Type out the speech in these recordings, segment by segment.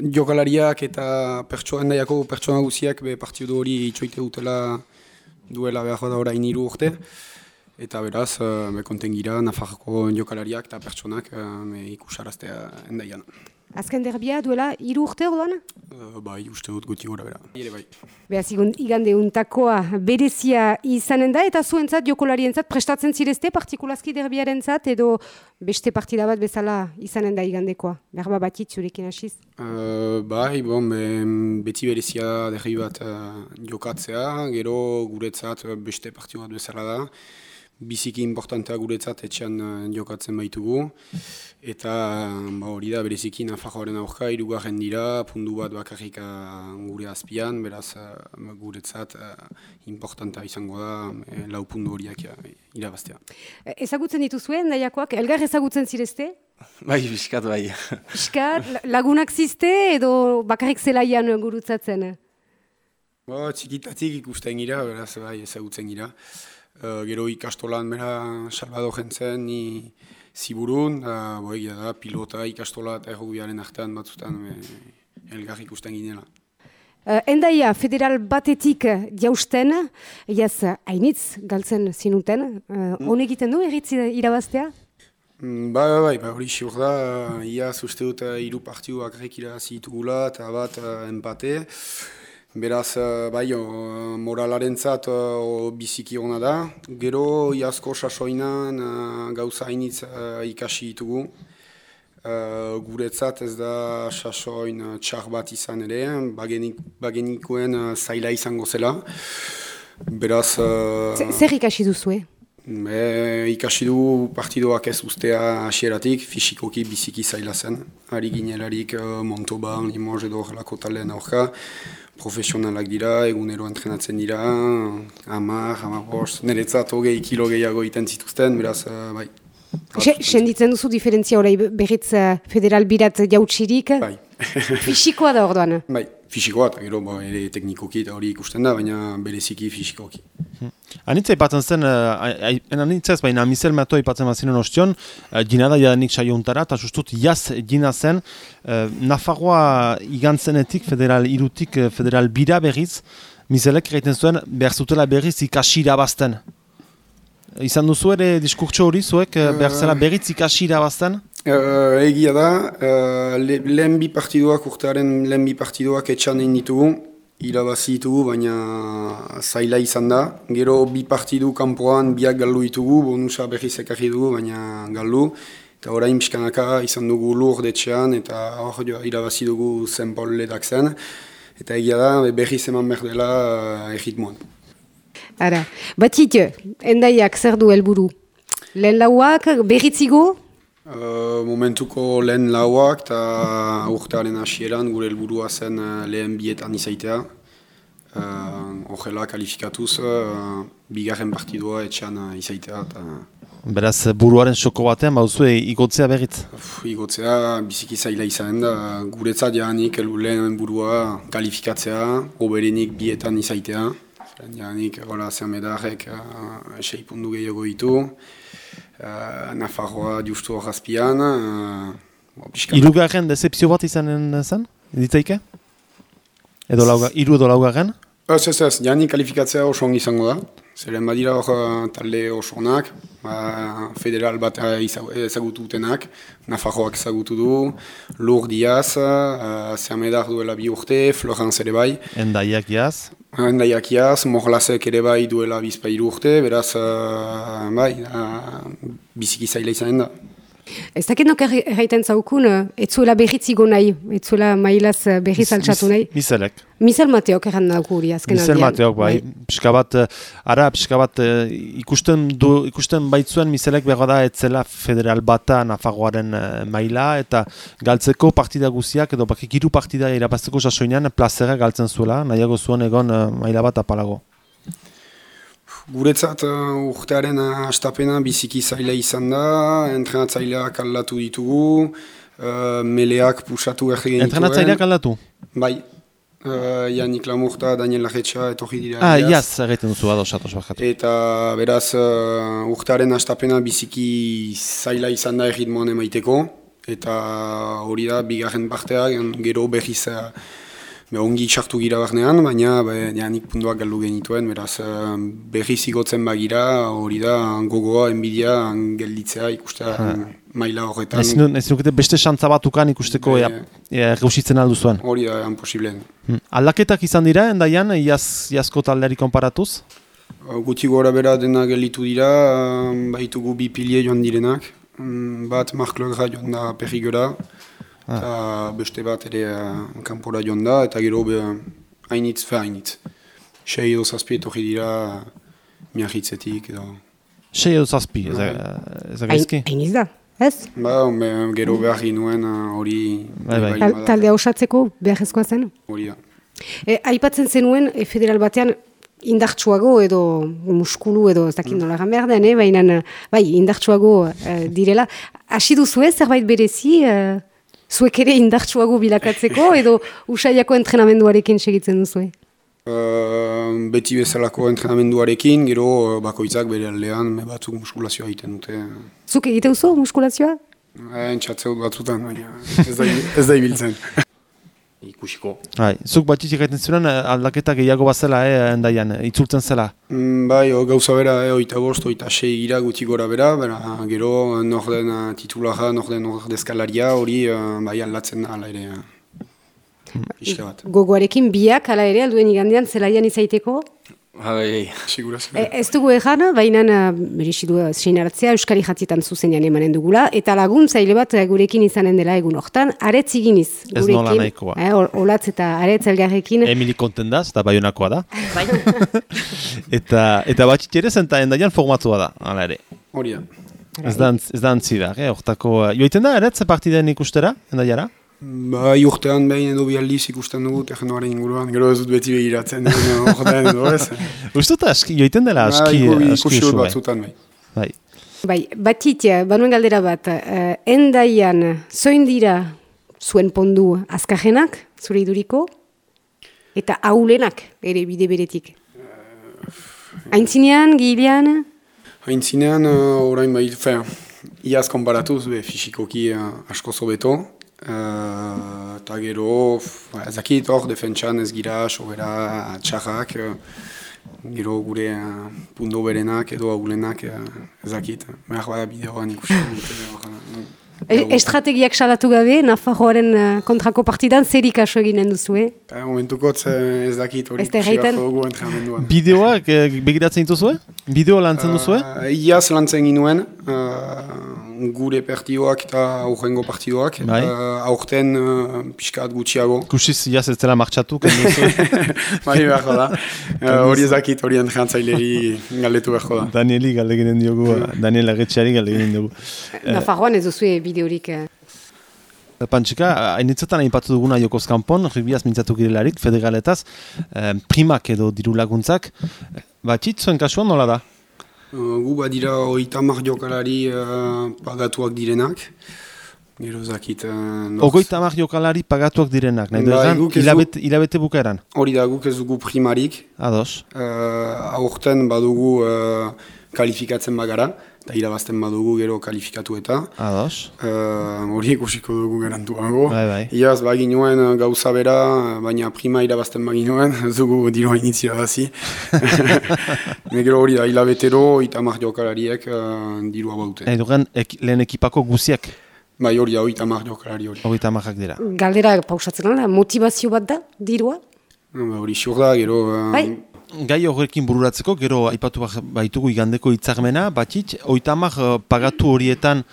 jokalariak eta endaiako pertsona guziak partidu hori itxoite dutela duela behar da orain 3 urte. Eta beraz, konten gira Nafarroko jokalariak eta pertsonak ikusaraztea endaian. Azken derbia duela 3 urte orduan? Bai, uste dut guti gora bera. Bai. Beaz, igande untakoa berezia izanen da, eta zuentzat, jokolarientzat, prestatzen zirezte, partikulazki derbiarentzat, edo beste partida bat bezala izanen da igandekoa? Berba batit zurekin hasiz? Bai, beti berezia derbi bat jokatzea, gero guretzat beste partidu bat bezala da. Biziki importantea guretzat etxean jokatzen baitugu. Eta hori da bereziki Nafarroaren aurka, 3. dira, pundu bat bakarrik gure azpian, beraz guretzat importantea izango da 4 pundu horiak irabaztea. Ezagutzen dituzue, endaiakoak, elgar ezagutzen zirezte? Bai, biskat bai. Biskat, lagunak zizte edo bakarrik zelaian gurutzatzen? Txikitatik ikusten gira, beraz bai ezagutzen gira. Gero ikastolan bera Salvador jentzen ni ziburun, egia da, pilota, ikastola eta errubiaren artean batzutan elgar ikusten ginela. Endaia federal batetik jausten, hainitz galtzen zinuten, honek egiten du erritz irabaztea? Bai, hori xur da, iaz uste dut 3 partidu bakarrik irabazi ditugula eta bat empate. Beraz, bai, moralarentzat biziki ona da. Gero, iazko sasoinan gauza hainitz ikasi ditugu. Guretzat ez da sasoin txar bat izan ere, bagenikoen zaila izango zela. Beraz... Zer ikasi duzue? Ikasi dugu partidoak ez ustea hasieratik, fisikoki biziki zaila zen. Ari ginelarik Montauban, Limoges edo horrelako taldeen aurka. Profesionalak dira, egunero entrenatzen dira, 10, niretzat 20 kilo gehiago iten zituzten, beraz, bai. Senditzen duzu diferentzia horai berriz federal birat jautsirik? Bai. Fisikoa da orduan? Bai, fisikoa eta gero ere teknikoki eta hori ikusten da, baina bereziki fisikoki. Anitza ipatzen zen, anitzaz, baina Mizel Mato ipatzen bazinen ostion, gina da jadanik saio untara, eta justut jaz gina zen, Nafarroa igantzenetik, federal irutik, federal bira berriz, Mizelek egiten zuen, behar zutela berriz ikasi irabazten. Izan duzu ere diskurtso hori zuek, behar zela berriz ikasi irabazten? Egia da, lehen bi partiduak, urtearen lehen bi partiduak etxan egin ditugu, irabazi ditugu, baina zaila izan da. Gero bi partidu kanpoan biak galdu ditugu, bonusa berriz ekarri dugu, baina galdu. Eta orain pixkanaka izan dugu lur detxean, eta hor irabazi dugu Zenpol ledak zen. Eta egia da, berriz eman behar dela erritmoan. Ara, batik, endaiak zer du helburu? Lehen lauak, berritzigo? Momentuko lehen lauak eta urtearen hasieran gure helburua zen lehen bietan izaitea. Horrela kalifikatuz, bigarren partidua etxean izaitea. Beraz, buruaren soko batean, bauzue igotzea berriz? Igotzea biziki zaila izanen da. Guretzat janik lehen burua kalifikatzea, oberenik bietan izaitea. Janik, Zermedarrek 6 puntu gehiago ditu. Nafarroa justu horazpian. Hirugarren decepzio bat izanen zen? Ditzaike? Edo laugarren? Ez, janik kalifikatzea oso ongi izango da. Zeren badira hor talde oso onak, federal bat ezagutu dutenak, Nafarroak ezagutu du, Lur Diaz, Zermedar duela 2 urte, Florence ere bai. Endaiak jaz. Endaiak jaz, Morlasek ere bai duela 2 urte, beraz, bai, biziki zaila izanen da. Ez dakit nok erraiten zaukun, etzuela berritzigo nahi, etzuela mailaz berriz altxatu nahi. Mizelek. Mizel Mateok erran dauku hori azken aldean. Mizel Mateok, bai. Pixka bat ikusten baitzuen Mizelek behar da etzela federal bata Nafarroaren maila, eta galtzeko partida guziak, edo bakik 3 partida irabazteko sasoinean plazera galtzen zuela, nahiago zuen egon maila bat apalago. Guretzat urtearen hastapena biziki zaila izan da, entrenatzaileak aldatu ditugu, meleak pusatu erregen dituen. Entrenatzaileak aldatu? Bai, Janik Lamurta, Daniel Larretxa etorri dira. Iaz, erraiten duzu ados bakatu. Eta beraz urtearen hastapena biziki zaila izan da erritmoan emaiteko, eta hori da bigarren partea, gero berriz ongi txartu gira barnean, baina nik puntuak galdu genituen, beraz berriz igotzen bagira, hori da gogoa, enbidia, gelditzea ikustea maila horretan. Ez nukete beste xantza batukan ikusteko gauzitzen aldu zuen? Hori da, imposibleen. Aldaketak izan dira, endaian, iazko taldeari konparatuz? Guti gora bera dena gelditu dira, baitugu bi pilie joan direnak, bat Mark Legra joan da Perrigora, eta beste bat ere kanpora joan da, eta gero hainitz. 6 edo zazpi etorri dira miarritzetik edo. 6 edo zazpi, ez gaizki? Hainitz da, ez? Gero behar ginuen hori... Taldea osatzeko beharrezkoa zen? Hori da. Aipatzen zenuen federal batean indartsuago edo muskulu edo ez dakit nola egan behar den, baina indartsuago direla. Hasi duzue zerbait berezi, zuek ere indartsuago bilakatzeko edo usaiako entrenamenduarekin segitzen duzue? Beti bezalako entrenamenduarekin, gero bakoitzak bere aldean batzuk muskulazioa egiten dute. Zuk egite duzu muskulazioa? Entxatzeu batzutan, baina ez da ibiltzen. Ikusiko. Zuk batxitzik egiten zuen aldaketa gehiago bazela, endaian, itzultzen zela? Gauza bera, 25, 26 gira guti gora bera, gero norden titulara, norden ordezkalaria hori aldatzen da ala ere. Gogoarekin biak ala ere alduen igandean zelaian izaiteko? Segurazio. Ez dugu egan, baina berezidu seinaratzea Euskari Jatzietan zuzenean emanen dugula, eta laguntzaile bat gurekin izanen dela egun hortan, aretz iginiz gurekin. Ez nola nahikoa. Olatz eta aretz elgarrekin. Emili kontendaz, eta baionakoa da. Eta batxit ere zenta endaian formatua da, hala ere. Hori da. Ez da antzidak, hortako... Joiten da, aretz partiden ikustera, endaiara? Urtean behin edo bialdiz ikusten dugu teknoaren inguruan, gero ez dut beti begiratzen ordean edo ez. Ustuta, joiten dela aski ikusi batzutan bai. Batit, banuen galdera bat, endaian zoin dira zuen pondu azkajenak, zure iduriko, eta aulenak ere bide beretik? Aintzinean, gilean? Aintzinean, orain bai, iaz konparatuz, fisikoki asko zobeto, eta gero, ezakit hor, defentsan ez gira, sobera, txarrak, gero gure punto berenak edo agulenak ezakit. Behar bada bideoan ikusten dute. Estrategiak salatu gabe, Nafarroaren kontrako partidan zerik aso eginen duzu, Momentukot ez dakit hori ikusi bat dugu entrenamenduan. Bideoak begiratzen dituzue? Bideo lantzen duzue? Iaz lantzen ginuen, gure partidoak eta aurrengo partidoak. Aurten pixkat gutxiago. Kusiz iaz ez dela martxatu, kenduzu? Beharko da. Hori ezakit, hori entrenantzaileri galdetu beharko da. Danieli galdeginen diogu, Daniel Agetxeari galdeginen diogu. Nafarroan ez duzue bideorik. Pantxika, hainitzetan aipatu duguna Jokoz Kanpon, ribiaz mintzatu girelarik, federaletaz, primak edo diru laguntzak. Batxit, zuen kasuan nola da? Gu badira 30 jokalari pagatuak direnak. Gero zakit... 30 jokalari pagatuak direnak, nahi duetan, hilabete bukaeran? Hori da, guk ez dugu primarik. Ados. Aurten badugu kalifikatzen bagara. Eta irabazten badugu gero kalifikatu eta. Ados. Hori ikusiko dugu garantuago. Bai. Iaz baginuen gauza bera, baina prima irabazten baginuen, ez dugu diroa initzi irabazi. Gero hori da, hilabetero, 30 jokalariek dirua baute. Lehen ekipako guziak? Bai hori da, 30 jokalari hori. 30ak dira. Galdera pausatzen da, motivazio bat da, dirua? Hori xur da, gero... Gai horrekin bururatzeko, gero aipatu baitugu igandeko hitzarmena, batxit, 30 pagatu horietan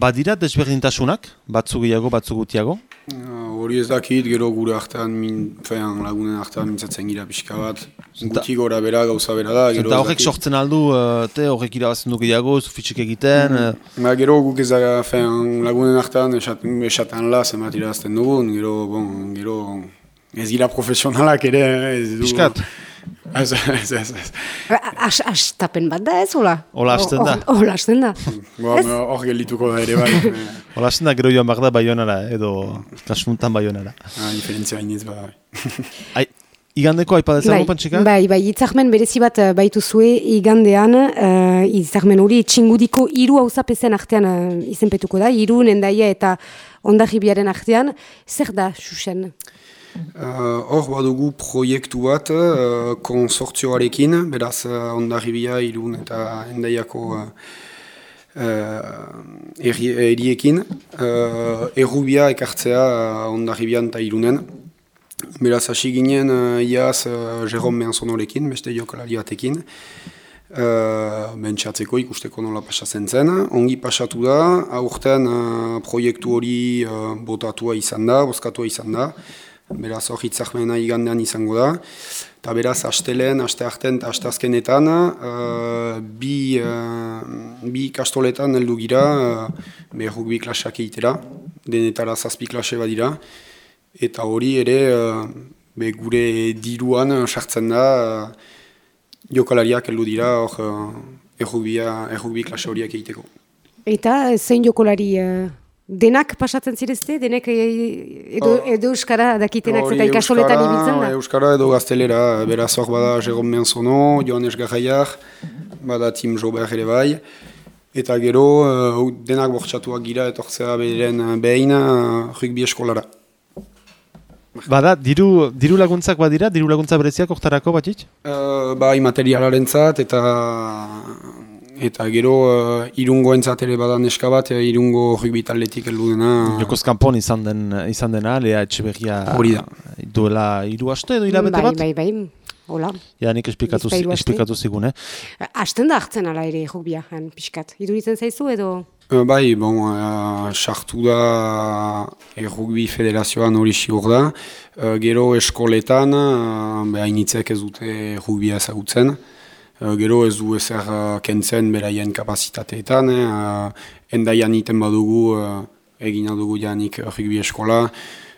badira desberdintasunak, batzu gehiago, batzu gutiago? Hori ez dakit, gero gure artean, lagunen artean mintzatzen gira pixka bat, guti gora bera, gauza bera da. Eta horrek sortzen aldu, horrek irabazten du gehiago, zufitxik egiten? Gero guk ez da, lagunen artean esaten la, zenbat irabazten dugun, gero ez gira profesionalak ere, ez du... Piskat? Ez. Astapen bat da ez, hola? Hola hasten da. Hola hasten da. Hor geldituko da ere bai. Hola hasten da gero joan behar da Baionara, edo kasuntan Baionara. Diferentzia hainitz bai. Igandeko aipadezago Pantsika? Bai, hitzarmen berezi bat baituzue igandean, hitzarmen hori Txingudiko 3 auzapezen artean izenpetuko da, Irun, Hendaia eta Hondarribiaren artean. Zer da, Xuxen? Hor badugu proiektu bat konsortzioarekin, beraz Hondarribia, Irun eta Hendaiako erriekin, errubia ekartzea Hondarribian eta Irunen. Beraz, hasi ginen iaz Jerome Mehanzonorekin, beste jokalari batekin. Bentsatzeko ikusteko nola pasatzen zen. Ongi pasatu da, aurten proiektu hori botatua izan da, bozkatua izan da. Beraz, hor hitzarmena igandean izango da. Eta beraz, astelen, astearten eta asteazkenetan, bi ikastoletan heldu gira, rugby klaseak egitera, denetara 7 klase badira. Eta hori ere gure diruan sartzen da jokalariak heldu dira errugbi klase horiak egiteko. Eta zein jokolari denak pasatzen zirezte? Denek edo euskara dakitenak eta ikastoletan ibiltzen da? Euskara edo gaztelera, beraz hor bada Jerome Mehanzono, Joanes Garraiak, bada Tim Jobert ere bai. Eta gero denak bortxatuak gira etortzea beren behin rugby eskolara. Bada, diru laguntzak badira, diru laguntza bereziak oktarako batik? Bai, materialarentzat eta gero irungoentzat ere bada neska bat, irungo rugby taldetik heldu dena. Jokoz kanpon izan dena, Lea Etxeberria duela 3 aste edo hilabete bat? Bai, hola. Ja, nik esplikatu zigun, Hasten da hartzen ala ere rugbia, pixkat. Iduritzen zaizu edo? Bai, sartu da Rugby Federazioan hori sigur da. Gero eskoletan, hainitzek ez dute rugbia ezagutzen. Gero ez du ezer kentzen beraien kapazitateetan. Hendaian iten badugu, egina dugu janik rugby eskola.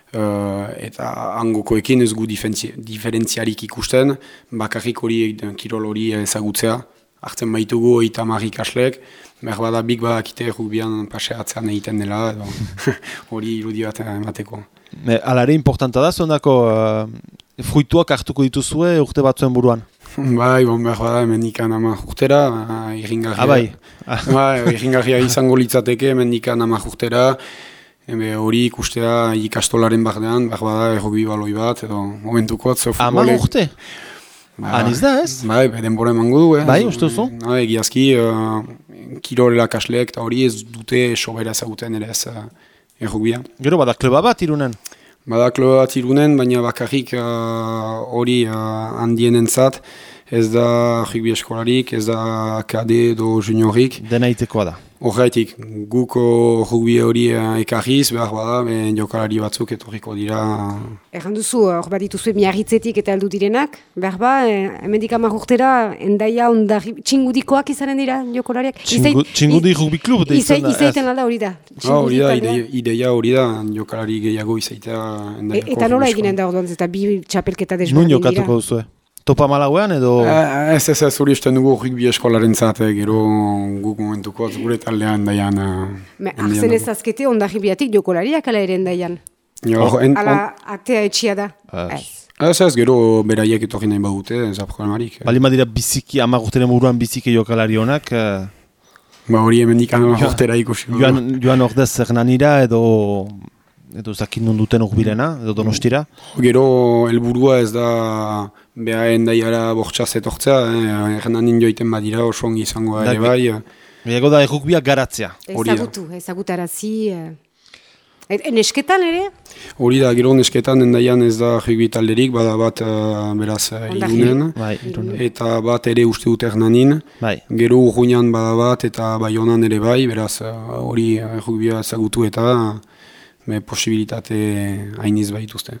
Eta hangokoekin ez gu diferentziarik ikusten. Bakarrik hori kirol hori ezagutzea. Hartzen baitugu 30 ikaslek. Berbada bik badakite rugbian paseatzean egiten dela, hori irudi bat emateko. Alare importanta da, zondako fruituak hartuko dituzue urte batzuen buruan? Bai, berbada mendikan 10 urtera, irringarria. Irringarria izango litzateke mendikan 10 urtera. Hori ikustea ikastolaren bardean, berbada rugby baloi bat, edo momentuko atzo futbole. 10 urte? Aniz da ez? Bai, denbora emango du. Bai, uste duzu? Egiazki, kirorela kasleek eta hori ez dute sobera ezaguten ere ez errugbia. Gero bada kluba bat Irunen? Bada kluba bat Irunen, baina bakarrik hori handienentzat ez da rugby eskolarik, ez da kade edo juniorik. Dena itekoa da. Horretik, guko rugby hori ekarriz, behar bada, jokalari batzuk etorriko dira. Erran duzu, hor bat dituzue miarritzetik eta heldu direnak, behar ba, hemendik 10 urtera, Hendaia, Hondarribia, Txingudikoak izanen dira jokalariak? Txingudi rugby klub da izan da. Izaiten alda hori da? Hori da, ideia hori da, jokalari gehiago izaitea Hendaiako. Eta nola eginen da orduan, eta bi txapelketa desberdin dira? Nun jokatuko duzue? Topa Malauean edo? Ez hori esten dugu rugby eskolaren zat, gero guk momentuko gure taldean Hendaian. Arzen ez azkete Hondarribiatik jokolariak ala ere Hendaian? Ala atea etxia da? Ez, gero beraiek etorri nahi badute, ez da problemarik. Balima dira biziki, 10 urteren buruan biziki jokalari honak? Hori hemendik 10 urtera ikusi. Joan ordez Hernanira edo zakin duten urbilena, edo Donostira? Gero helburua ez da beha Hendaiara bortxaz etortzea, Hernanin joiten badira oso ongi izango ere bai. Gehiago da errukbia garatzea. Ezagutarazi. Nesketan ere? Hori da, gero nesketan Hendaian ez da rugby talderik, bada bat beraz Irunen, eta bat ere uste dut Hernanin. Gero Urruñan bada bat eta Baionan ere bai, beraz hori errugbia ezagutu eta posibilitate hainiz baituzte.